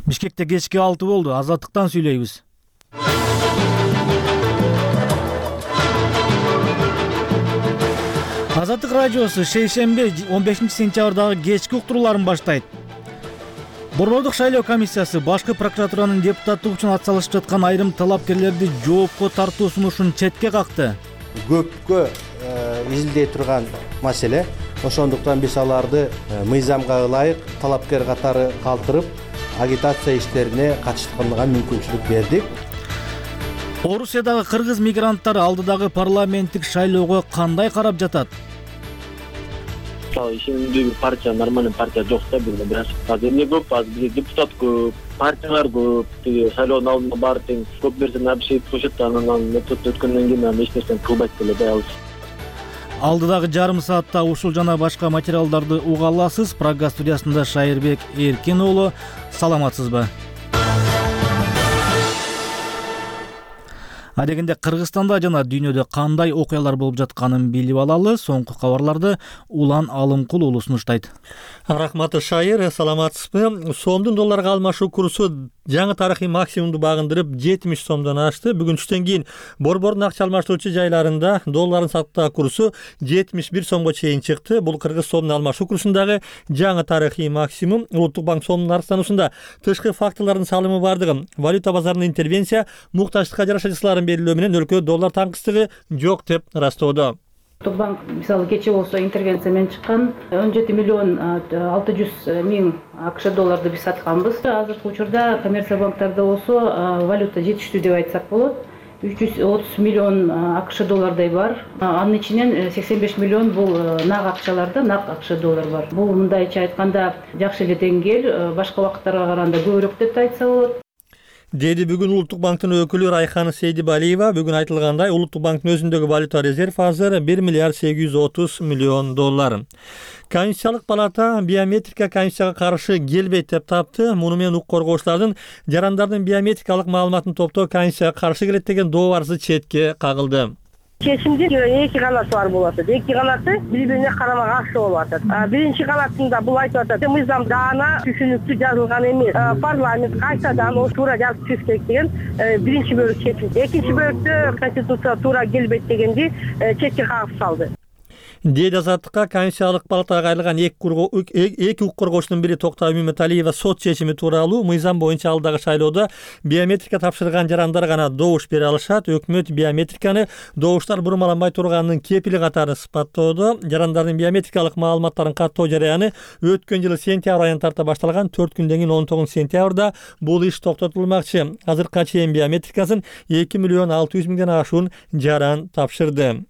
Бишкекте кечки 6 болду. Азаттыктан сүйлөйбүз. Азаттык радиосу шейшембе 15-сентябрдагы кечки уктурууларын баштайт. Борбордук шайлоо комиссиясы башкы прокуратуранын депутаттык үчүн ат салышып жаткан айрым талапкерлерди жоопко тартуу сунушун четке какты. Көпкө изилдей турган маселе. Ошондуктан биз аларды мыйзамга ылайык талапкер катары калтырып, агитация иштерине катышканга мүмкүнчүлүк бердик. Орусиядагы кыргыз мигранттары алдыдагы парламенттик шайлоого кандай карап жатат? Ишенимдүү бир партия, нормальный партия жок да бизде. Бирок азыр эмне көп, азыр бизде депутат көп, партиялар көп. Тиги шайлоонун алдында баары тең көп нерсени абишет коюшат, анан өткөндөн кийин эч нерсени кылбайт деле да алыс. Алдыдагы жарым саатта ушул жана башка материалдарды уга аласыз. Программа студиясында Шайырбек Эркин уулу. Саламатсызбы? Адегенде Кыргызстанда жана дүйнөдө кандай окуялар болуп жатканын билип алалы. Соңку кабарларды Улан Алымкул уулу сунуштайт. Рахматы Шайыр, саламатсызбы? Сомдун долларга алмашуу курсу жаңы тарыхый максимумду багындырып 70 сомдон ашты. Бүгүн түштөн кийин борбордун акча алмаштыруучу жайларында доллардын саттык курсу 71 сомго чейин чыкты. Бул кыргыз сомдун алмашуу курсундагы жаңы тарыхый максимум. Улуттук банк сомдун арзануусунда тышкы факторлордун салымы бардыгы, валюта базарынын интервенция, муктаждыкка жараша чысларын белгилөө менен өлкөдө доллар таңкыстыгы жок деп ырастоодо. Улуттук банк мисалы кече болсо интервенция менен чыккан 17 миллион 600 миң АКШ долларды биз сатканбыз. Азыркы учурда коммерция банктарда болсо валюта жетиштүү деп айтсак болот. 330 миллион АКШ доллардай бар. Анын ичинен 85 миллион бул нак акчаларда, нак АКШ доллар бар. Бул мындайча айтканда жакшы эле деңгээл, башка убакыттарга караганда көбүрөөк деп айтса болот. Деди бүгүн Улуттук банктын өкүлү Райхан Сейдибалиева. Бүгүн айтылгандай, Улуттук банктын өзүндөгү валюта резерв азыр 1 миллиард 830 миллион доллар. Конституциялык палата биометрика Конституцияга каршы келбейт деп тапты. Муну менен укук коргоочулардын жарандардын биометрикалык маалыматын топтоо Конституцияга каршы келет деген доо арызы четке кагылды. Чечимдин эки канаты бар болот. Эки канаты бири-бирине карама каршы болуп атат. Биринчи канатында бул айтып атат, мыйзамда ана түшүнүктүү жазылган эмес. Парламент кайтадан о туура жазып түшүш керек деген биринчи бөлүк чечилди. Экинчи бөлүктө Конституция туура келбейт дегенди четке кагып салды. Деди Азаттыкка Конституциялык палатага кайрылган эки укук коргоочунун бири Токтогул Мематалиева сот чечими тууралуу мыйзам боюнча алдагы шайлоодо биометрика тапшырган жарандар гана добуш бере алышат. Өкмөт биометриканы добуштар бурмаланбай турганын кепили катары сыпаттоодо. Жарандардын биометрикалык маалыматтарын каттоо жараяны өткөн жылы сентябрь айынан тарта башталган. 4 күндөн кийин 19 сентябрда бул иш токтотулмакчы. Азыркыга чейин биометрикасын 2 миллион 600 миңден ашуун жаран тапшырды.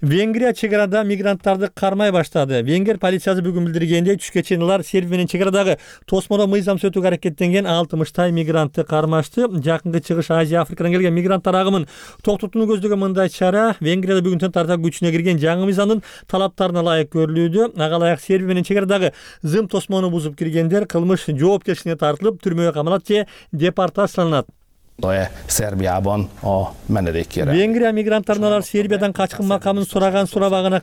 Венгрия чегарада мигранттарды кармай баштады. Венгер полициясы бүгүн билдиргендей, түшкө чейин алар Сербия менен чегарадагы тосмодо мыйзам сөтүүгө аракеттенген 60 мигрантты кармашты. Жакынкы чыгыш Азия, Африкадан келген мигранттар агымын токтотууну көздөгөн мындай чара Венгрияда бүгүнтөн тарта күчүнө кирген жаңы мыйзамдын талаптарына ылайык көрүлүүдө. Ага ылайык Сербия менен чегарадагы зым тосмону бузуп киргендер кылмыш жоопкерчиликке тартылып, түрмөгө камалат же депортацияланат. Сербиябон менедеккер. Венгрия мигранттарын алар Сербиядан качкын макамын сурабагана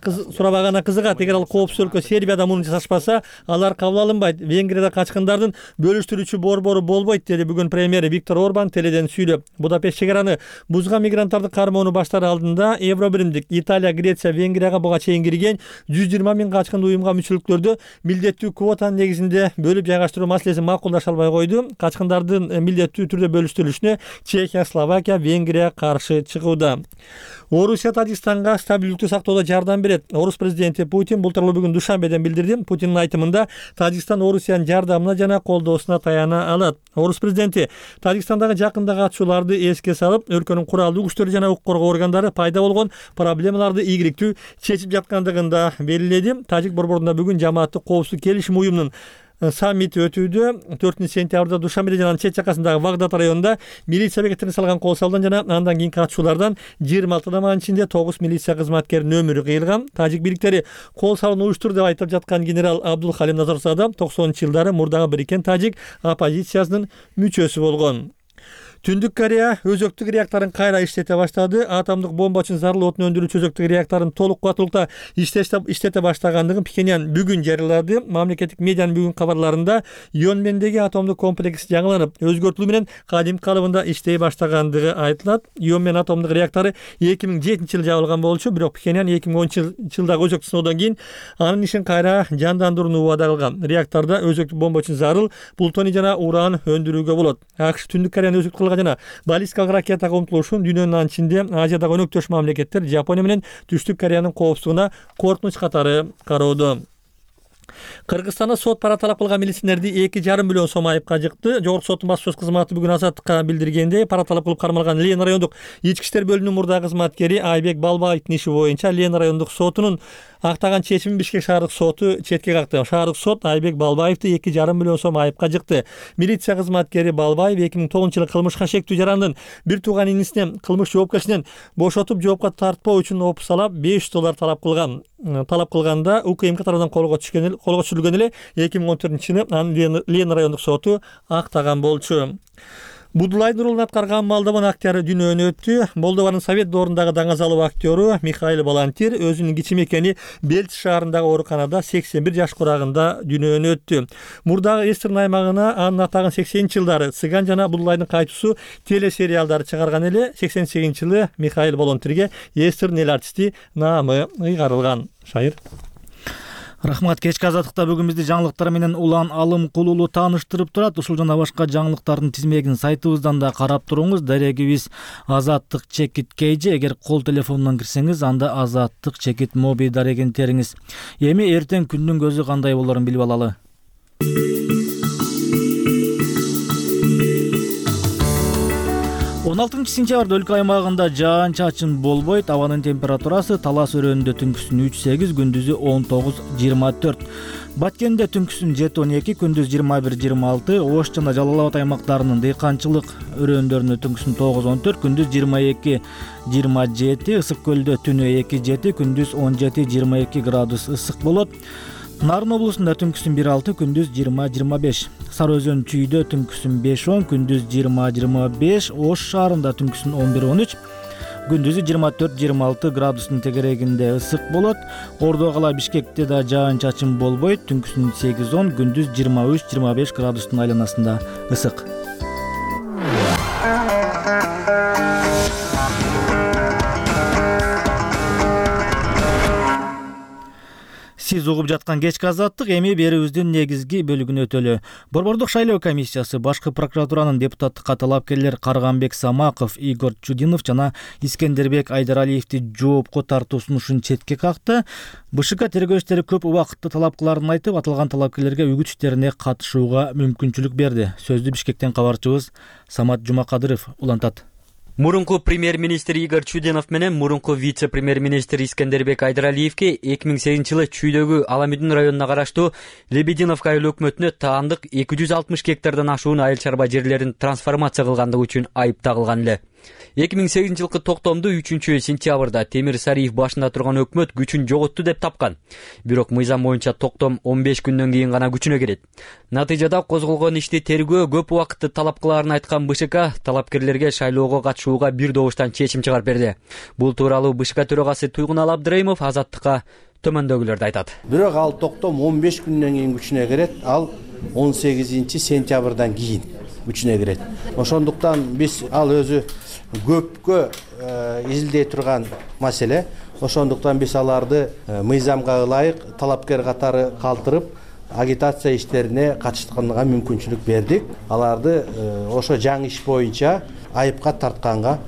кызыгат. Эгер ал коопсуз өлкө Сербияда муну жасашпаса, алар кабыл алынбайт. Венгрияда качкындардын бөлүштүрүүчү борбору болбойт, деди бүгүн премьер Виктор Орбан теледен сүйлөп. Будапешт чегараны бузган мигранттарды кармоону баштар алдында Евробиримдик Италия, Греция, Венгрияга буга чейин кирген 120 миң качкын уюмга мүчөлүктөрдү милдеттүү квотанын негизинде бөлүп жайгаштыруу маселесин макулдаша албай койду. Качкындардын милдеттүү түрдө бөлүштүрүлүшүнө Чехия, Словакия, Венгрия каршы чыгууда. Орусия Тажикстанга стабилдүүлүктү сактоодо жардам берет. Орус президенти Путин бул тууралуу бүгүн Душанбеден билдирди. Путиндин айтымында Тажикстан Орусиянын жардамына жана колдоосуна таяна алат. Орус президенти Тажикстандагы жакындагы атышууларды эске салып, өлкөнүн куралдуу күчтөрү жана укук коргоо органдары пайда болгон проблемаларды ийгиликтүү чечип жаткандыгын да белгиледи. Тажик борборунда бүгүн жамааттык коопсуздук келишим уюмунун саммити өтүүдө. 4 сентябрда Душанбеде жана чет жакасындагы Вагдат районунда милиция бекетине салган кол салдан жана андан кийинки атышуулардан 26 адамдын ичинде 9 милиция кызматкеринин өмүрү кыйылган. Тажик бийликтери кол салууну уюштурду деп айтып жаткан генерал Абдул Халим Назарзада 90-жылдары мурдагы бириккен тажик оппозициясынын мүчөсү болгон. Түндүк Корея өзөктүк реакторун кайра иштете баштады. Атомдук бомба үчүн зарыл отун өндүрүүчү өзөктүк реакторун толук кубаттуулукта иштете баштагандыгын Пхеньян бүгүн жарыялады. Мамлекеттик медианын бүгүн кабарларында Йонмендеги атомдук комплекс жаңыланып, өзгөртүлүү менен кадимки калыбында иштей баштагандыгы айтылат. Йонмен атомдук реактору 2007-жылы жабылган болчу, бирок Пхеньян 2010-жылдагы өзөктүк сыноодон кийин анын ишин кайра жандандырууну убада кылган. Реактордо өзөктүк бомба үчүн зарыл плутоний жана уран өндүрүүгө болот. АКШ Түндүк Кореянын өзөктүк кылга жана баллистикалык ракетага умтулушун дүйнөнүн ичинде Азиядагы өнөктөш мамлекеттер Жапония менен Түштүк Кореянын коопсуздугуна коркунуч катары кароодо. Кыргызстанда сот пара талап кылган милиционерди 2,5 миллион сом айыпка жыкты. Жогорку соттун баспасөз кызматы бүгүн Азаттыкка билдиргендей, пара талап кылып кармалган Лена райондук ички иштер бөлүмүнүн мурдагы кызматкери Айбек Балбаевдин иши боюнча Лена райондук сотунун актаган чечимин Бишкек шаардык соту четке какты. Шаардык сот Айбек Балбаевди 2,5 миллион сом айыпка жыкты. Милиция кызматкери Балбаев 2009-жылы кылмышка шектүү жарандын бир тууган инисине кылмыш жоопкерчилигинен бошотуп жоопко тартпоо үчүн $500 талап кылган. Талап кылганда УКМК тарабынан колго түшүрүлгөн эле 2014-жылы анын Лена райондук соту актаган болчу. Будулайдын ролун аткарган Молдован актеры дүйнөдөн өттү. Молдованын Совет доорундагы даңазалуу актёру Михаил Балантир өзүнүн кичи мекени Бельц шаарындагы ооруканада 81 жаш курагында дүйнөдөн өттү. Мурдагы Эстерн аймагына анын атагын 80-жылдары Цыган жана Будулайдын кайтуусу телесериалдары чыгарган эле. 88-жылы Михаил Балантирге Эстерн эл артисти наамы ыйгарылган. Шайыр. Рахмат. Кечки Азаттыкта бүгүн бизди жаңылыктар менен Улан Алымкулуулу тааныштырып турат. Ушул жана башка жаңылыктардын тизмегин сайтыбыздан да карап туруңуз. Дарегибиз Азаттык-KG. Эгер кол телефонунан кирсеңиз, анда Азаттык-Моби дарегин териңиз. Эми эртең күндүн көзү кандай болорун билип алалы. 16 сентябрда өлкө аймагында жаан-чачын болбойт. Абанын температурасы Талас өрөөнүндө түнкүсүн 3-8, күндүзү 19-24. Баткенде түнкүсүн 7-12, күндүз 21-26. Ош жана Жалал Абад аймактарынын дыйканчылык өрөөндөрүнө түнкүсүн 9-14, күндүз 22-27. Ысык көлдө түнү 2-7, күндүз 17-22 градус ысык болот. Нарын облусунда түнкүсүн 1-6, күндүз 20-25. Сары Өзөн Чүйдө түнкүсүн 5-10, күндүз 20-25. Ош шаарында түнкүсүн 11-13, күндүзү 24-26 градустун тегерегинде ысык болот. Ордо кала Бишкекте да жаан-чачын болбойт. Түнкүсүн 8-10, күндүз 23-25 градустун айланасында ысык. Сиз угуп жаткан кечки Азаттык, эми берүүбүздүн негизги бөлүгүнө өтөлү. Борбордук шайлоо комиссиясы башкы прокуратуранын депутаттыкка талапкерлер Карганбек Самаков, Игорь Чудинов жана Искендербек Айдаралиевди жоопко тартуу сунушун четке какты. БШК тергөө иштери көп убакытты талап кыларын айтып, аталган талапкерлерге үгүт иштерине катышууга мүмкүнчүлүк берди. Сөздү Бишкектен кабарчыбыз Самат Жумакадыров улантат. Мурунку премьер-министр Игорь Чудинов менен мурунку вице-премьер-министр Искендербек Айдаралиевге 2008-жылы Чүйдөгү Аламүдүн районуна караштуу Лебединовка айыл өкмөтүнө таандык 260 гектардан ашуун айыл чарба жерлерин трансформация кылгандыгы үчүн айып тагылган эле. 2008-жылкы токтомду 3-сентябрда Темир Сариев башында турган өкмөт күчүн жоготту деп тапкан. Бирок мыйзам боюнча токтом 15 күндөн кийин гана күчүнө кирет. Натыйжада козголгон ишти тергөө көп убакытты талап кылаарын айткан БШК талапкерлерге шайлоого катышууга бир добуштан чечим чыгарып берди. Бул тууралуу БШК төрагасы Туйгунал Абдырайымов Азаттыкка төмөндөгүлөрдү айтат. Бирок ал токтом 15 күндөн кийин күчүнө кирет. Ал 18-сентябрдан кийин күчүнө кирет. Ошондуктан биз ал өзү көпкө изилдей турган маселе. Ошондуктан биз аларды мыйзамга ылайык талапкер катары калтырып, агитация иштерине катышканга мүмкүнчүлүк бердик. Аларды ошо жаңы иш боюнча айыпка тартканга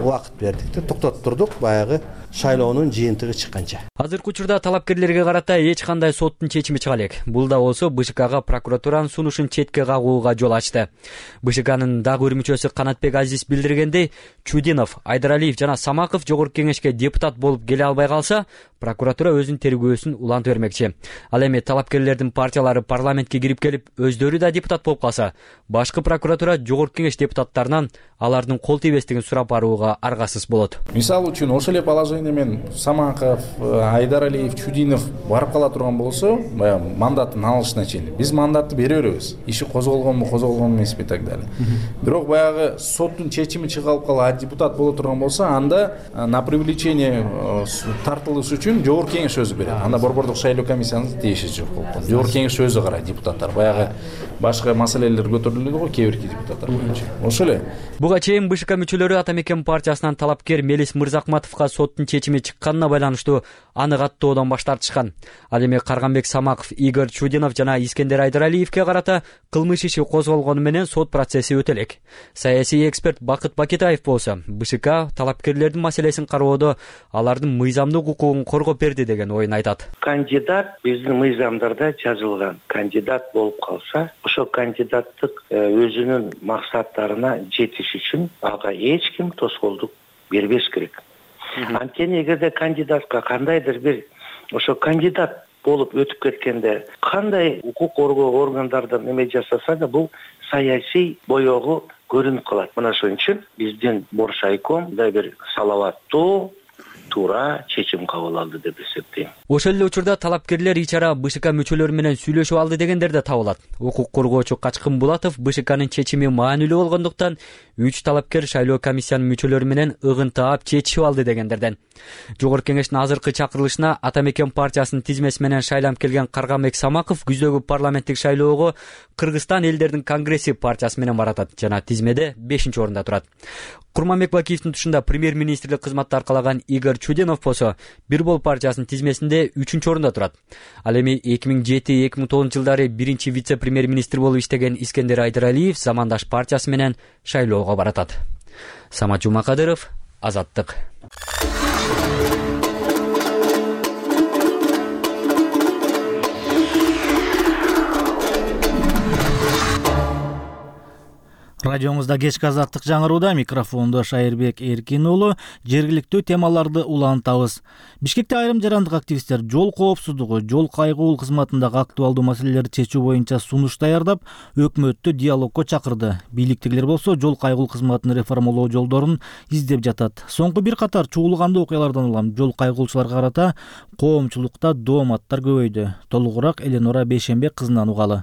убакыт бердик. Токтоттурдук баягы шайлоонун жыйынтыгы чыкканча. Азыркы учурда талапкерлерге карата эч кандай соттун чечими чыга элек. Бул да болсо БШКга прокуратуранын сунушун четке кагууга жол ачты. БШКнын дагы бир мүчөсү Канатбек Азиз билдиргендей, Чудинов, Айдаралиев жана Самаков жогорку кеңешке депутат болуп келе албай калса, прокуратура өзүнүн тергөөсүн улантып бермекчи. Ал эми талапкерлердин партиялары парламентке кирип келип, өздөрү да депутат болуп калса, башкы прокуратура жогорку кеңеш депутаттарынан алардын кол тийбестигин сурап барууга аргасыз болот. Мисалы үчүн ошол эле положение менен Самаков, Айдаралиев, Чудинов барып кала турган болсо, баягы мандатын алышына чейин биз мандатты бере беребиз. Иши козголгонбу, козголгон эмеспи так далее. Бирок баягы соттун чечими чыгарылып калып, депутат боло турган болсо, анда на привлечение тартылыш үчүн жогорку кеңеш өзү берет. Анда борбордук шайлоо комиссиянын тиеши жок болот. Жогорку кеңеш өзү карайт депутаттар. Баягы башка маселелер көтөрүлөдү го кээ бирки депутаттар боюнча. Ошол эле. Буга чейин БШК мүчөлөрү Ата Мекен партиясынан талапкер Мелис Мырзакматовго соттун чечими чыкканына байланыштуу аны каттоодон баш тартышкан. Ал эми Карганбек Самаков, Игорь Чудинов жана Искендер Айдаралиевке карата кылмыш иши козголгону менен сот процесси өтө элек. Саясий эксперт Бакыт Бакетаев болсо, БШК талапкерлердин маселесин кароодо алардын мыйзамдык укугун коргоп берди деген оюн айтат. Кандидат биздин мыйзамдарда жазылган. Кандидат болуп калса, ошол кандидаттык өзүнүн максаттарына жетиш үчүн ага эч ким тоскоолдук бербеш керек. Анткени эгерде кандидатка кандайдыр бир ошо кандидат болуп өтүп кеткенде кандай укук коргоо органдардан эме жасаса да бул саясий боёгу көрүнүп калат. Мына ошон үчүн биздин Боршайком да бир салаваттуу туура чечим кабыл алды деп эсептейм. Ошол эле учурда талапкерлер ичара БШК мүчөлөрү менен сүйлөшүп алды дегендер да табылат. Укук коргоочу Качкын Булатов БШКнын чечими маанилүү болгондуктан 3 талапкер шайлоо комиссиянын мүчөлөрү менен ыгын таап чечишип алды дегендерден. Жогорку кеңештин азыркы чакырылышына Ата Мекен партиясынын тизмеси менен шайланып келген Карганбек Самаков күздөгү парламенттик шайлоого Кыргызстан элдердин конгресси партиясы менен баратат жана тизмеде 5-орунда турат. Курманбек Бакиевдин тушунда премьер-министрлик кызматты аркалаган Игорь Чудинов болсо, Бир бол партиясынын тизмесинде 3-орунда турат. Ал эми 2007-2009 жылдары биринчи вице-премьер-министр болуп иштеген Искендер Айдаралиев замандаш партиясы менен шайлоого баратат. Самат Жумакадыров, Азаттык. Радиоңузда кечки Азаттык жаңырууда, микрофондо Шайырбек Эркин уулу. Жергиликтүү темаларды улантабыз. Бишкекте айрым жарандык активисттер жол коопсуздугу, жол кайгылуу кызматындагы актуалдуу маселелерди чечүү боюнча сунуш даярдап, өкмөттү диалогко чакырды. Бийликтегилер болсо жол кайгылуу кызматын реформалоо жолдорун издеп жатат. Соңку бир катар чуулгандуу окуялардан улам жол кайгылуучуларга карата коомчулукта дооматтар көбөйдү. Толугураак Эленора Бейшембек кызынан угалы.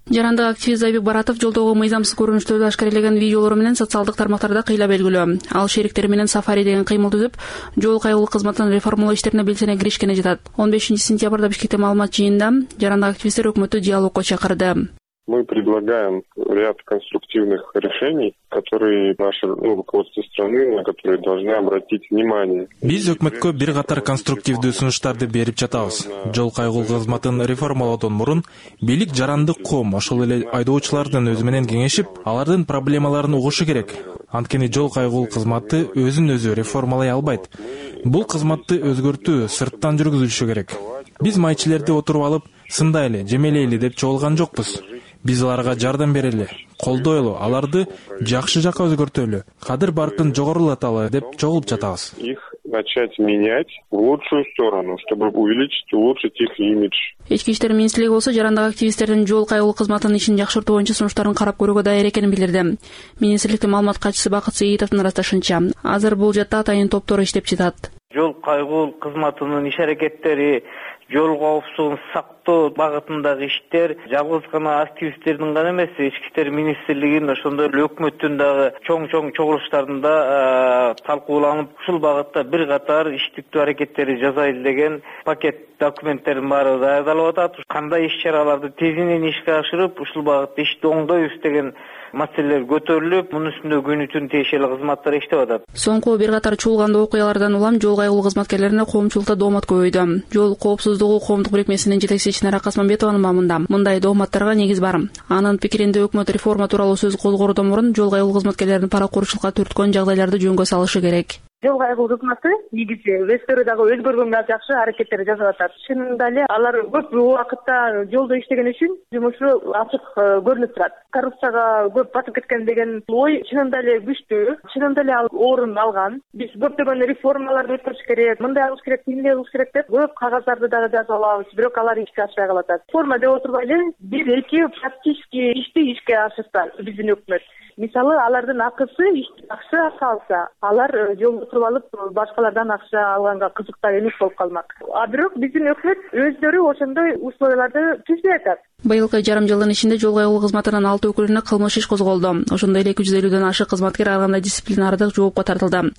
Жарандык активист Зайбек Баратов жолдогу мыйзамсыз көрүнүштөрдү ашкарелеген видеолору менен социалдык тармактарда кыйла белгилүү. Ал шериктери менен сафари деген кыймыл түзүп, жол кайгылуу кызматын реформалоо иштерине белсене киришкени жатат. 15-сентябрда Бишкекте маалымат жыйынында жарандык активисттер өкмөттү диалогко чакырды. Мы предлагаем ряд конструктивных решений, которые наше руководство страны, на которые должны обратить внимание. Биз өкмөткө бир катар конструктивдүү сунуштарды берип жатабыз. Жол кайгылуу кызматын реформалоодон мурун бийлик жарандык коом, ошол эле айдоочулардын өзү менен кеңешип, алардын проблемаларын угушу керек. Анткени жол кайгылуу кызматы өзүн өзү реформалай албайт. Бул кызматты өзгөртүү сырттан жүргүзүлүшү керек. Биз майчилерди отуруп алып, сындайлы, жемелейли деп чогулган жокпуз. Биз аларга жардам берели, колдойлу, аларды жакшы жакка өзгөртөлү, кадыр баркын жогорулаталы деп чогулуп жатабыз. Их начать менять в лучшую сторону, чтобы увеличить и улучшить их имидж. Ички иштер министрлиги болсо жарандык активисттердин жол кайгылуу кызматынын ишин жакшыртуу боюнча сунуштарын карап көрүүгө даяр экенин билдирди. Министрликтин маалымат катчысы Бакыт Сейитовдун ырасташынча, азыр бул жатта атайын топтору иштеп жатат. Жол кайгылуу кызматынын иш аракеттери, жол коопсуздугун сактоо багытындагы иштер жалгыз гана активисттердин гана эмес, ички иштер министрлигинин ошондой эле өкмөттүн дагы чоң чогулуштарында талкууланып, ушул багытта бир катар иштиктүү аракеттери жасайлы деген пакет документтердин баары даярдалып атат. Кандай иш-чараларды тезинен ишке ашырып, ушул багытта ишти оңдойбуз деген маселелер көтөрүлүп, мунун үстүндө күнү түн тиешелүү кызматтар иштеп атат. Соңку бир катар чуулгандуу окуялардан улам жол кайгылуу кызматкерлерине коомчулукта доомат көбөйдү. Жол коопсуздугу коомдук бирикмесинин жетекчиси Чынара Касманбетованын маамында мындай дооматтарга негиз бар. Анын пикиринде өкмөт реформа тууралуу сөз козгоордон мурун жол кайгылуу кызматкерлерин паракурчулукка түрткөн жагдайларды жөнгө салышы керек. Жол кайгылуу кызматы негизи өздөрү дагы өзгөргөнгө жакшы аракеттер жасап атат. Чынында эле алар көп убакытта жолдо иштеген үчүн жумушу ачык көрүнүп турат. Коррупцияга көп батып кеткен деген ой чынында эле күчтүү, чынында эле ал орун алган. Биз көптөгөн реформаларды өткөрүш керек, мындай кылыш керек, тиндей кылыш керек деп көп кагаздарды дагы жазып алабыз, бирок алар ишке ашпай калат. Реформа деп отурбай эле бир-эки практически ишти ишке ашырса биздин өкмөт. Мисалы, алардын акысы акча салса, алар жолду туруп алып, башкалардан акча алганга кызыктар эмес болуп калмак. А бирок биздин өкмөт өздөрү ошондой условияларды түзбөй атат. Быйылкы жарым жылдын ичинде жол кайгылуу кызматынын 6 өкүлүнө кылмыш иш козголду. Ошондой эле 250ден ашык кызматкер ар кандай дисциплинардык жоопко тартылды.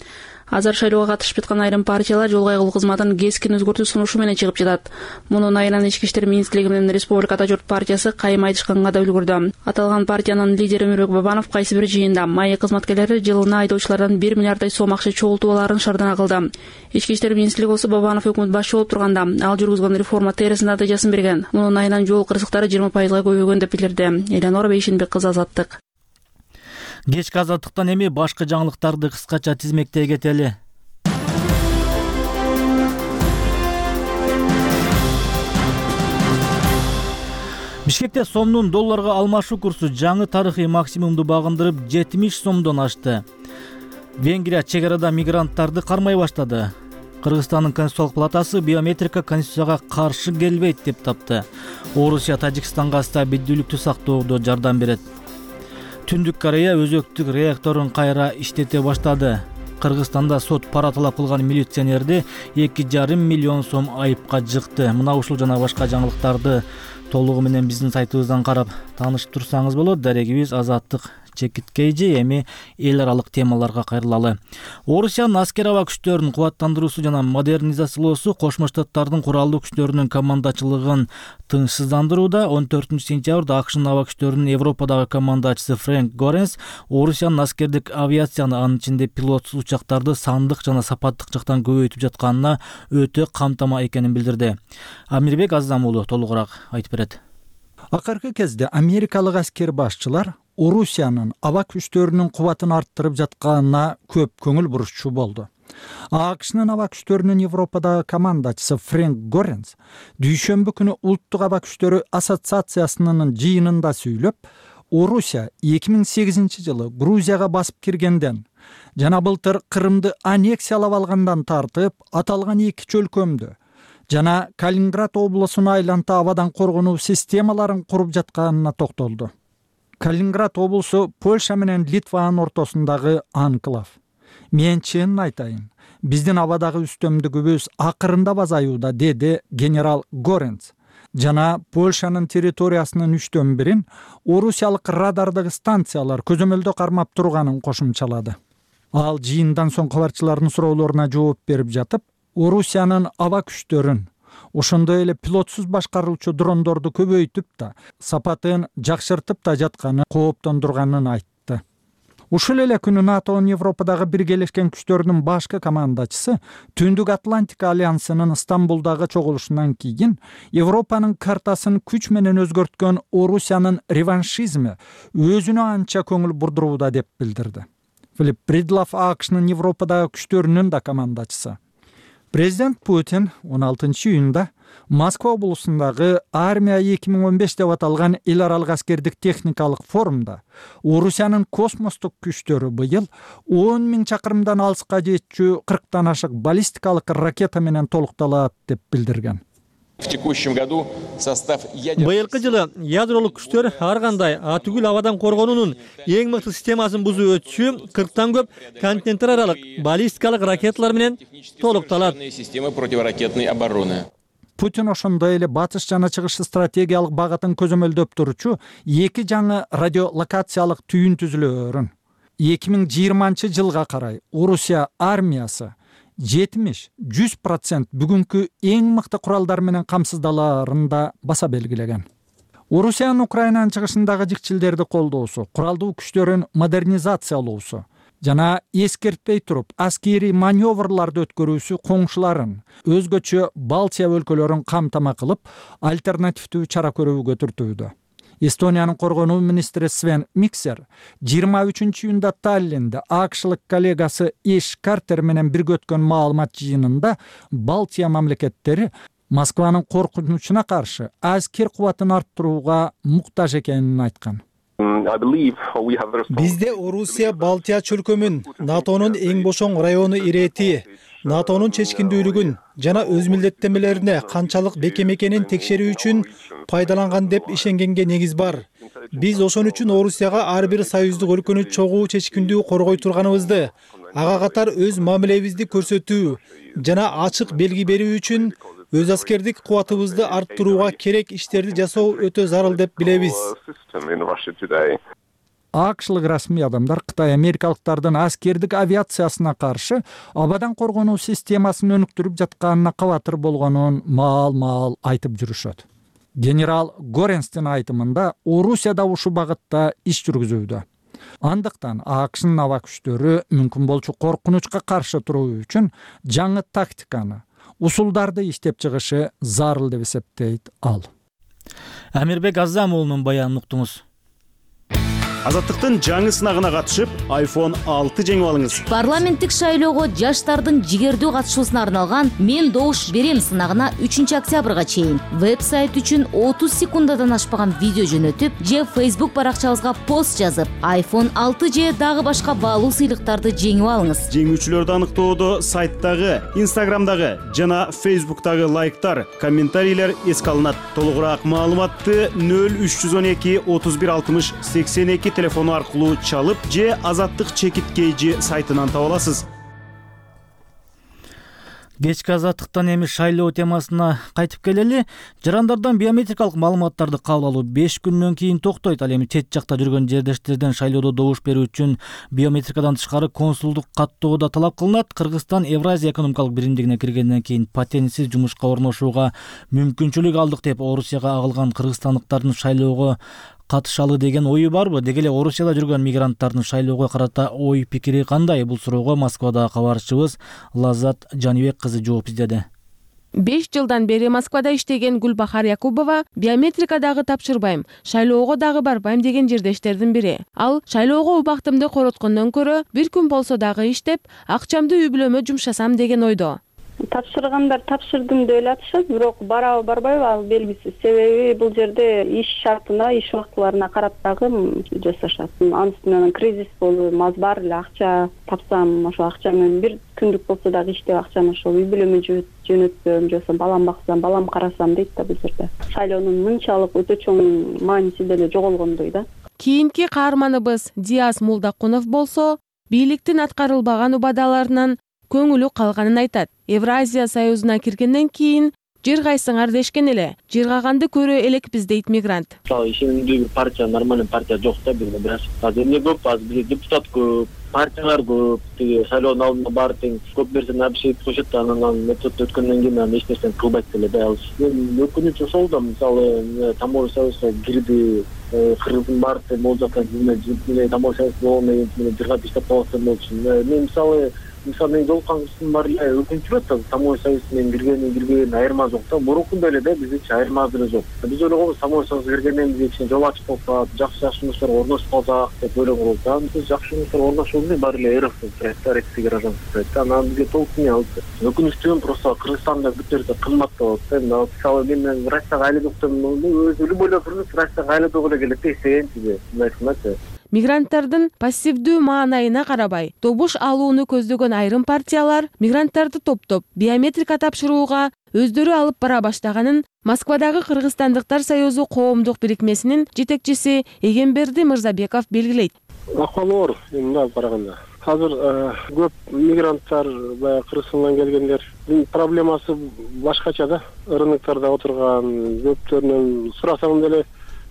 Азыр шайлоого катышып жаткан айрым партиялар жол кайгылуу кызматын кескин өзгөртүү сунушу менен чыгып жатат. Мунун айынан Ички иштер министрлиги менен Республикада журт партиясы кайым айтышканга да үлгүрдү. Аталган партиянын лидери Өмүрбек Бабанов кайсы бир жыйында майы кызматкерлери жылына айдоочулардан 1 миллиарддай сом акча чогултуп алаарын шардана кылды. Ички иштер министрлиги болсо Бабанов өкмөт башчы болуп турганда ал жүргүзгөн реформа терис натыйжасын берген. Мунун айынан жол кырсыктары 20%га көбөйгөн деп билдирди. Эланора Бейшенбек кызы, Азаттык. Кечки Азаттыктан эми башка жаңылыктарды кыскача тизмектей кетели. Бишкекте сомдун долларга алмашуу курсу жаңы тарыхый максимумду багындырып 70 сомдон ашты. Венгрия чек арада мигранттарды кармай баштады. Кыргызстандын Конституциялык палатасы биометрика Конституцияга каршы келбейт деп тапты. Орусия Тажикстанга стабилдүүлүктү сактоодо жардам берет. Түндүк Корея өзөктүк реакторун кайра иштете баштады. Кыргызстанда сот пара талап кылган милиционерди 2,5 миллион сом айыпка жыкты. Мына ушул жана башка жаңылыктарды толугу менен биздин сайтыбыздан карап таанышып турсаңыз болот. Дарегибиз Азаттык чекиткейжи. Эми эл аралык темаларга кайрылалы. Орусиянын аскер аба күчтөрүнүн кубаттандыруусу жана модернизациялоосу Кошмо Штаттардын куралдуу күчтөрүнүн командачылыгын тынчсыздандырууда. 14-сентябрда АКШнын аба күчтөрүнүн Европадагы командачысы Фрэнк Горенс Орусиянын аскердик авиацияны, анын ичинде пилотсуз учактарды сандык жана сапаттык жактан көбөйтүп жатканына өтө камтама экенин билдирди. Амирбек Азам уулу толугураак айтып берет. Акыркы кезде америкалык аскер башчылар Орусиянын аба күчтөрүнүн кубатын арттырып жатканына көп көңүл бурушчу болду. АКШнын аба күчтөрүнүн Европадагы командачысы Фрэнк Горенс дүйшөмбү күнү Улуттук аба күчтөрү ассоциациясынын жыйынында сүйлөп, Орусия 2008 жылы Грузияга басып киргенден жана былтыр Крымды аннексиялап алгандан тартып, аталган эки чөлкөмдү жана Калининград облусун айланта абадан коргонуу системаларын куруп жатканына токтолду. Калининград облусу Польша менен Литванын ортосундагы анклав. Мен чынын айтайын, биздин абадагы үстөмдүгүбүз акырындап азаюуда, деди генерал Горенц. Жана Польшанын территориясынын 1/3 орусиялык радардагы станциялар көзөмөлдө кармап турганын кошумчалады. Ал жыйындан соң кабарчылардын суроолоруна жооп берип жатып, Орусиянын аба күчтөрүн, ошондой эле пилотсуз башкаруучу дрондорду көбөйтүп да, сапатын жакшыртып да жатканы кооптондурганын айтты. Ушул эле күнү НАТОнун Европадагы биргелешкен күчтөрүнүн башкы командачысы Түндүк Атлантика альянсынын Стамбулдагы чогулушунан кийин Европанын картасын күч менен өзгөрткөн Орусиянын реваншизми өзүнө анча көңүл бурдурууда деп билдирди. Филипп Бридлов АКШнын Европадагы күчтөрүнүн да командачысы. Президент Путин 16 июнда Москва облусундагы армия 2015 деп аталган эл аралык аскердик техникалык форумда Орусиянын космостук күчтөрү быйыл 10 000 чакырымдан алыска жетчү 40тан ашык баллистикалык ракета менен толукталат деп билдирген. Быйылкы жылы ядролук күчтөр ар кандай түгүл абадан коргонуунун эң мыкты системасын бузуп өтчү 40тан көп континенттер аралык баллистикалык ракеталар менен толукталат. Путин ошондой эле батыш жана чыгыш стратегиялык багытын көзөмөлдөп турчу эки жаңы радиолокациялык түйүн түзүлөөрүн 2020 жылга карай Орусия армиясы 70-100% бүгүнкү эң мыкты куралдар менен камсыздалаарын да баса белгилеген. Орусиянын Украинанын чыгышындагы жикчилдерди колдоосу, куралдуу күчтөрүн модернизациялоосу жана эскертпей туруп аскерий маневрларды өткөрүүсү коңшуларын, өзгөчө Балтия өлкөлөрүн камтама кылып, альтернативдүү чара көрүүгө түртүүдө. Эстониянын коргонуу министри Свен Миксер 23-июнда Таллинде АКШлык коллегасы Эш Картер менен бирге өткөн маалымат жыйынында Балтия мамлекеттери Москванын коркунучуна каршы аскер кубатын арттырууга муктаж экенин айткан. Бизде Орусия Балтия чөлкөмүн, НАТОнун эң бошоң району ирети, НАТОнун чечкиндүүлүгүн жана өз милдеттенмелерине канчалык бекем экенин текшерүү үчүн пайдаланган деп ишенгенге негиз бар. Биз ошон үчүн Орусияга ар бир союздук өлкөнү чогуу чечкиндүү коргой турганыбызды, ага катар өз мамилебизди көрсөтүү жана ачык белги берүү үчүн өз аскердик кубатыбызды арттырууга керек иштерди жасоо өтө зарыл деп билебиз. АКШлык расмий адамдар Кытай америкалыктардын аскердик авиациясына каршы абадан коргонуу системасын өнүктүрүп жатканына кабатыр болгонун маал айтып жүрүшөт. Генерал Горенстин айтымында Орусия да ушул багытта иш жүргүзүүдө. Андыктан АКШнын аба күчтөрү мүмкүн болчу коркунучка каршы туруу үчүн жаңы тактиканы, усулдарды иштеп чыгышы зарыл деп эсептейт ал. Амирбек Азамуулунун баянын уктуңуз. Азаттыктын жаңы сынагына катышып, iPhone 6 жеңип алыңыз. Парламенттик шайлоого жаштардын жигердүү катышуусуна арналган «Мен добуш берем» сынагына 3 октябрга чейин веб-сайт үчүн 30 секундадан ашпаган видео жөнөтүп, же Facebook баракчабызга пост жазып, iPhone 6 же дагы башка баалуу сыйлыктарды жеңип алыңыз. Жеңүүчүлөрдү аныктоодо сайттагы, Instagramдагы жана Facebook'тагы лайктар, комментарийлер эске алынат. Толугураак маалыматты 0312 31 60 82 телефону аркылуу чалып же Азаттык чекит кейжи сайтынан таба аласыз. Кечки Азаттыктан эми шайлоо темасына кайтып келели. Жарандардан биометрикалык маалыматтарды кабыл алуу 5 күндөн кийин токтойт. Ал эми чет жакта жүргөн жердештерден шайлоодо добуш берүү үчүн биометрикадан тышкары консулдук каттоо да талап кылынат. Кыргызстан Евразия экономикалык биримдигине киргенден кийин патентсиз жумушка орношууга мүмкүнчүлүк алдык деп Орусияга агылган кыргызстандыктардын шайлоого катышалы деген ою барбы? Деги эле Орусияда жүргөн мигранттардын шайлоого карата ой пикири кандай? Бул суроого Москвадагы кабарчыбыз Лаззат Жанибек кызы жооп издеди. 5 жылдан бери Москвада иштеген Гүлбахар Якубова биометрика дагы тапшырбайм, шайлоого дагы барбайм деген жердештердин бири. Ал шайлоого убактымды короткондон көрө бир күн болсо дагы иштеп, акчамды үй бүлөмө жумшасам деген ойдо. Тапшыргандар тапшырдым деп эле атышат, бирок барабы барбайбы ал белгисиз. Себеби бул жерде иш шартына, иш убактыларына карап дагы жасашат. Анын үстүнөн кризис болуп, маз бар эле акча тапсам, ошо акча менен бир күндүк болсо дагы иштеп акчаны ошол үй бүлөмө жөнөтсөм, же балам баксам, балам карасам дейт да бул жерде. Шайлоонун мынчалык өтө чоң мааниси деле жоголгондой да. Кийинки каарманыбыз Диас Мулдакунов болсо, бийликтин аткарылбаган убадаларынан көңүлү калганын айтат. Евразия союзуна киргенден кийин жер кайсыңар дешкен эле. Жыргаганды көрө элекпиз дейт мигрант. Ишенимдүү бир партия, нормальный партия жок да бизде бирок. Азыр эмне көп, азыр бизде депутат көп, партиялар көп, тиги шайлоонун алдында баары тең көп нерсени обещать кылышат, анан метод өткөндөн кийин анан эч нерсени кылбайт деле да. Өкүнүч ошол да, мисалы Таможня союзуна кирди, кыргыздын баары тең болуп жаткан кийин Таможня союзу болгондон кийин жыргап иштеп калса болчу. Мен мисалы мен жолуккан кыздын баары өкүнчү болот. Таможня союзу менен кирген айырма жок да. Мурункундай эле да, бизде айырма деле жок. Биз ойлогонбуз Таможня союзуна киргенден кийин жол ачып калса, жакшы жумуштар орношуп калсак деп ойлогонбуз. Биз жакшы жумуштар орношууда баары эле эрф российский гражданство да. Анан бизге толук не алды. Өкүнүчтүү просто Кыргызстанда бүт нерсе кымбаттап атат. Мисалы мен Россияга айланып өзү любой туруп Россияга айланып эле келет десеңчи, мындай кылмачы. Мигранттардын пассивдүү маанайына карабай, добуш алууну көздөгөн айрым партиялар мигранттарды топтоп биометрика тапшырууга өздөрү алып бара баштаганын Москвадагы Кыргызстандыктар союзу коомдук бирикмесинин жетекчиси Эгемберди Мырзабеков белгилейт. Акыбалы оор, мындай алып караганда. Азыр көп мигранттар, баягы Кыргызстандан келгендер, проблемасы башкача да. Рыноктарда отурган көптөрүнөн сурасаң деле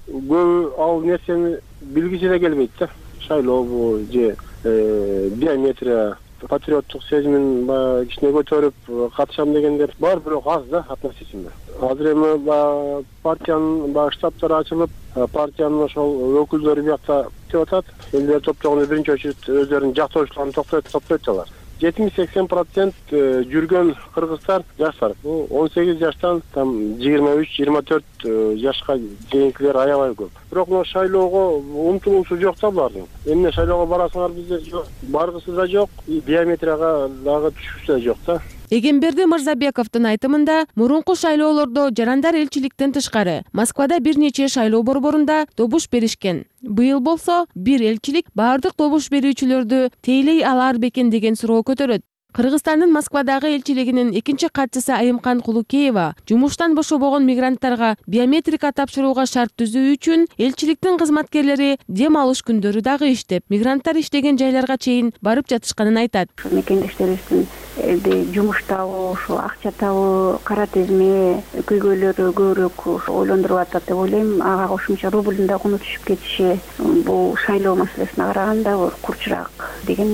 көбү ал нерсени билгиси да келбейт да. Шайлообу же биометрия, патриоттук сезимин баягы кичине көтөрүп катышам дегендер бар, бирок аз да относительно. Азыр эми партиянын штабтары ачылып, партиянын ошол өкүлдөрү биякта деп атат. Элдер топтогондо биринчи очередь өздөрүнүн жактоочуларын топтойт алар. 70-80% жүргөн кыргыздар жаштар. Бул 18 жаштан там 23-24 жашка чейинкилер аябай көп. Бирок мына шайлоого умтулуусу жок да булардын. Эмне шайлоого барасыңар бизде жок, баргысы да жок, биометрияга дагы түшүүсү да жок да. Эгемберди Мырзабековдун айтымында, мурунку шайлоолордо жарандар элчиликтен тышкары Москвада бир нече шайлоо борборунда добуш беришкен. Быйыл болсо бир элчилик баардык добуш берүүчүлөрдү тейлей алар бекен деген суроо көтөрөт. Кыргызстандын Москвадагы элчилигинин экинчи катчысы Айымкан Кулукеева жумуштан бошобогон мигранттарга биометрика тапшырууга шарт түзүү үчүн элчиликтин кызматкерлери дем алыш күндөрү дагы иштеп, мигранттар иштеген жайларга чейин барып жатышканын айтат. Мекендештерибиздин жумуш табуу, ошо акча табуу, кара тизме көйгөйлөрү көбүрөөк ойлондуруп атат деп ойлойм. Ага кошумча рублдун да куну түшүп кетиши бул шайлоо маселесине караганда курчураак деген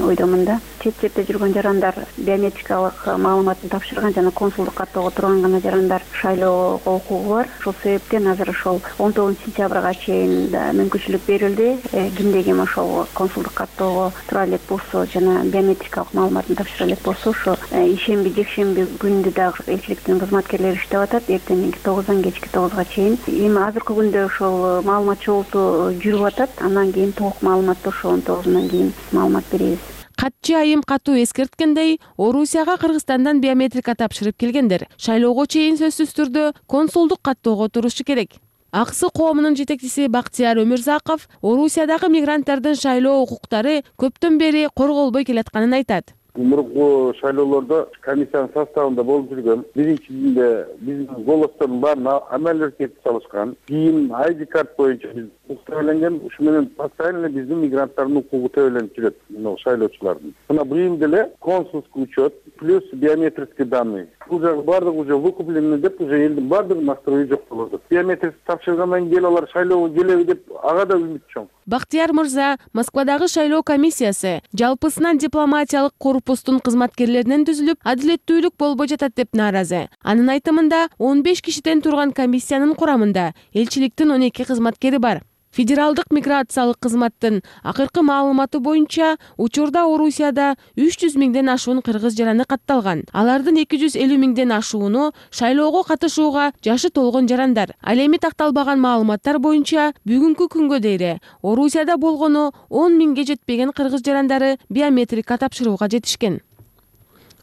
ойдомун да. Чет жерде жүргөн жарандар биометрикалык маалыматын тапшырган жана консулдук каттоого турган гана жарандар шайлоого укугу бар. Ошол себептен азыр ошол 19 сентябрга чейин мүмкүнчүлүк берилди. Кимде ким ошол консулдук каттоого тура элек болсо жана биометрикалык маалыматын тапшыра элек болсо, ошо ишемби, жекшемби күндү дагы элчиликтин кызматкерлери иштеп атат. Эртеңки 9-дан кечки 9га чейин. Эми азыркы күндө ошол маалымат чогултуу жүрүп атат. Андан кийин толук маалыматты ошо 19-унан кийин маалымат беребиз. Катчы Айым катуу эскерткендей, Орусияга Кыргызстандан биометрика тапшырып келгендер шайлоого чейин сөзсүз түрдө консулдук каттоого турушу керек. Аксы коомунун жетекчиси Бактияр Өмүрзаков Орусиядагы мигранттардын шайлоо укуктары көптөн бери корголбой келатканын айтат. Мурунку шайлоолордо комиссиянын составында болуп жүргөн, биринчисинде биздин голостордун баарына амалдер кетип салышкан. Кийин ID карт боюнча биз укук төлөнгөн, ушу менен постоянно биздин мигранттардын укугу төлөнүп жүрөт, мына шайлоочулардын. Мына быйыл деле консулский учет плюс биометрические данные. Бул жагы баардыгы уже выкупление деп, уже элдин баардыгы настрою жок болду. Биометрик тапшыргандан кийин алар шайлоого келеби деп ага да үмүт чоң. Бактияр мырза, Москвадагы шайлоо комиссиясы жалпысынан дипломатиялык корпустун кызматкерлеринен түзүлүп, адилеттүүлүк болбой жатат деп нааразы. Анын айтымында 15 кишиден турган комиссиянын курамында элчиликтин 12 кызматкери бар. Федералдык миграциялык кызматтын акыркы маалыматы боюнча учурда Орусияда 300 миңден ашуун кыргыз жараны катталган. Алардын 250 миңден ашууну шайлоого катышууга жашы толгон жарандар. Ал эми такталбаган маалыматтар боюнча бүгүнкү күнгө дейре Орусияда болгону 10 миңге жетпеген кыргыз жарандары биометрика тапшырууга жетишкен.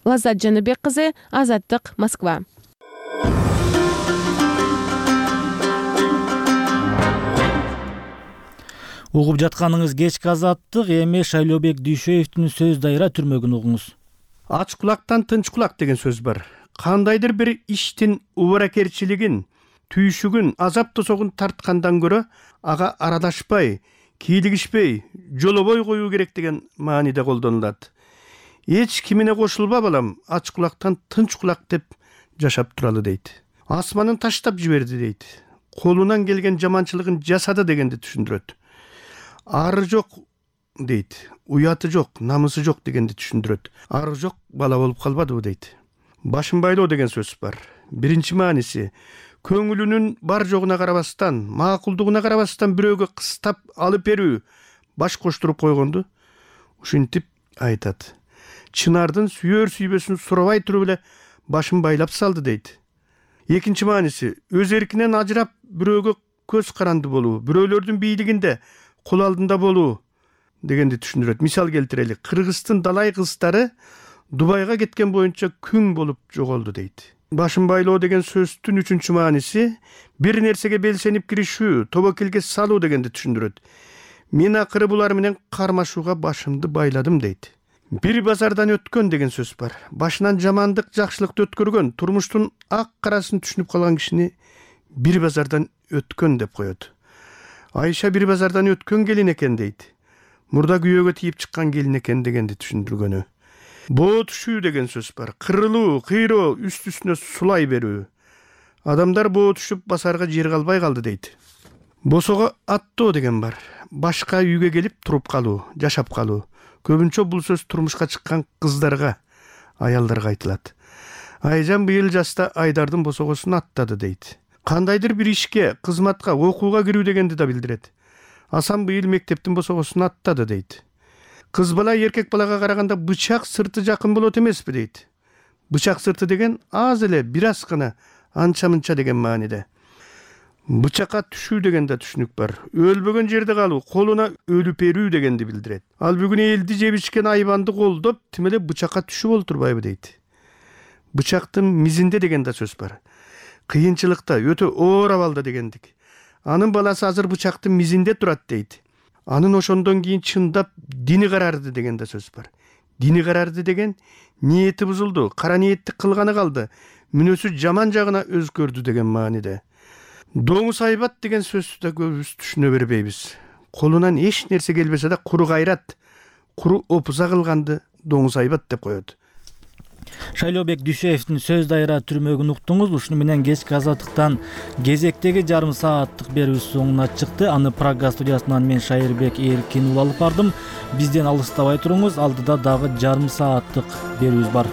Лаззат Жаныбек кызы, Азаттык, Москва. Угуп жатканыңыз кечки Азаттык, эми Шайлообек Дүйшөевдүн сөз дайыра түрмөгүн угуңуз. Ач кулактан тынч кулак деген сөз бар. Кандайдыр бир иштин убаракерчилигин, түйшүгүн, азап тосогун тарткандан көрө ага арадашпай, кийлигишпей, жолобой коюу керек деген мааниде колдонулат. Эч кимине кошулба балам, ач кулактан тынч кулак деп жашап туралы дейт. Асманын таштап жиберди дейт. Колунан келген жаманчылыгын жасады дегенди түшүндүрөт. Ары жок дейт, уяты жок, намысы жок дегенди түшүндүрөт. Ары жок бала болуп калбадыбы дейт. Башын байлоо деген сөз бар. Биринчи мааниси көңүлүнүн бар жогуна карабастан, макулдугуна карабастан бирөөгө кыстап алып берүү, баш коштуруп койгонду ушинтип айтат. Чынардын сүйөр сүйбөсүн сурабай туруп эле башын байлап салды дейт. Экинчи мааниси өз эркинен ажырап бирөөгө көз каранды болуу, бирөөлөрдүн бийлигинде кол алдында болуу дегенди түшүндүрөт. Мисал келтирели, Кыргыздын далай кыздары Дубайга кеткен боюнча күң болуп жоголду дейт. Башын байлоо деген сөздүн үчүнчү мааниси бир нерсеге белсенип киришүү, тобокелге салуу дегенди түшүндүрөт. Мен акыры булар менен кармашууга башымды байладым дейт. Бир базардан өткөн деген сөз бар. Башынан жамандык, жакшылыкты өткөргөн, турмуштун ак карасын түшүнүп калган кишини бир базардан өткөн деп коет. Айша бир базардан өткөн келин экен дейт. Мурда күйөөгө тийип чыккан келин экен дегенди түшүндүргөнү. Боо түшүү деген сөз бар. Кырылуу, кыйроо, үст-үстүнө сулай берүү. Адамдар боо түшүп басарга жер калбай калды дейт. Босого аттоо деген бар. Башка үйгө келип туруп калуу, жашап калуу. Көбүнчө бул сөз турмушка чыккан кыздарга, аялдарга айтылат. Айжан быйыл жашта Айдардын босогосун аттады дейт. Кандайдыр бир ишке, кызматка, окууга кирүү дегенди да билдирет. Асан быйыл мектептин босогосун аттады дейт. кыз бала эркек балага караганда бычак сырты жакын болот эмеспи дейт. Бычак сырты деген аз эле бир аз гана анча мынча деген мааниде. Бычакка түшүү деген да түшүнүк бар. Өлбөгөн жерде калуу, колуна өлүп берүү дегенди билдирет. Ал бүгүн элди жеп ичкен айбанды колдоп, тим эле бычакка түшүп олтурбайбы дейт. Бычактын мизинде деген да сөз бар. Кыйынчылыкта өтө оор абалда дегендик. Анын баласы азыр бычактын мизинде турат дейт. Анын ошондон кийин чындап дини карарды деген да сөз бар. Дини карарды деген ниети бузулду, кара ниеттик кылганы калды, мүнөсү жаман жагына өзгөрдү деген мааниде. Доңуз айбат деген сөздү да көбүбүз түшүнө бербейбиз. Колунан эч нерсе келбесе да куру кайрат, куру опуза кылганды доңуз айбат деп коет. Шайлообек Дүйшеевдин сөз дайыра түрмөгүн уктуңуз. Ушуну менен кечки азаттыктан кезектеги жарым сааттык берүүбүз соңуна чыкты. Аны Прага студиясынан мен Шайырбек Эркин алып бардым. Бизден алыстабай туруңуз. Алдыда дагы жарым сааттык берүүбүз бар.